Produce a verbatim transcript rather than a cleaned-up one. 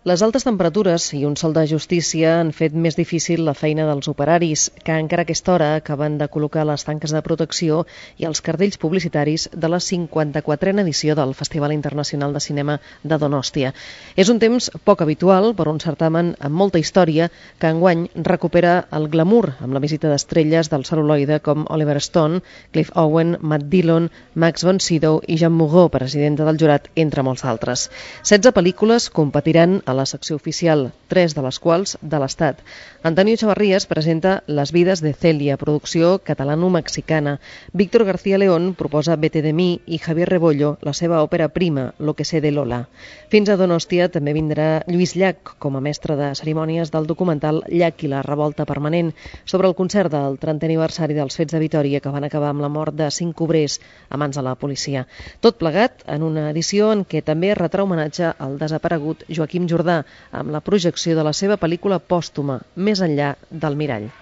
Les altes temperatures i un sol de justícia han fet més difícil la feina dels operaris, que encara a aquesta hora acaben de col·locar les tanques de protecció i els cartells publicitaris de la cinquanta-quatrena edició del Festival Internacional de Cinema de Donòstia. És un temps poc habitual per un certamen amb molta història que enguany recupera el glamour amb la visita d'estrelles del cel·luloide com Oliver Stone, Cliff Owen, Matt Dillon, Max von Sydow i Jeanne Moreau, presidenta del jurat, entre molts altres. setze pel·lícules competiran a la secció oficial, tres de les quals de l'Estat. Antonio Chavarrías presenta Les vides de Celia, producció catalano-mexicana. Víctor García León proposa Vete de mi i Javier Rebollo la seva òpera prima, Lo que sé de Lola. Fins a Donòstia també vindrà Lluís Llach com a mestre de cerimònies del documental Llach i la revolta permanent, sobre el concert del trentè aniversari dels fets de Vitòria que van acabar amb la mort de cinc obrers a mans de la policia. Tot plegat en una edició en què també es retrà homenatge al desaparegut Joaquim Jordà amb la projecció de la seva pel·lícula pòstuma Més enllà del mirall.